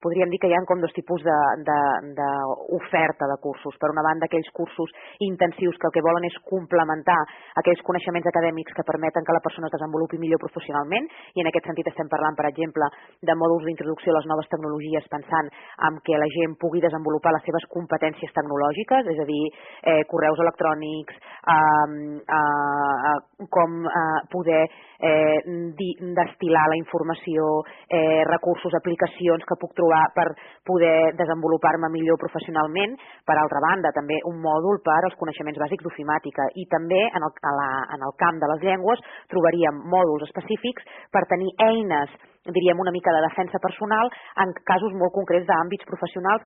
podríem dir que hi ha com dos tipus d'oferta de cursos. Per una banda, aquells cursos intensius que el que volen és complementar aquells coneixements acadèmics que permeten que la persona es desenvolupi millor professionalment, i en aquest sentit estem parlant, per exemple, de mòduls d'introducció a les noves tecnologies pensant en que la gent pugui desenvolupar les seves competències tecnològiques, és a dir, correus electrònics, com poder destil·lar la informació, recursos, aplicacions que puc trobar per poder desenvolupar-me millor professionalment. Per altra banda, també un mòdul per als coneixements bàsics d'ofimàtica, i també en el camp de les llengües trobaríem mòduls específics per tenir eines, diríem, una mica de defensa personal en casos molt concrets d'àmbits professionals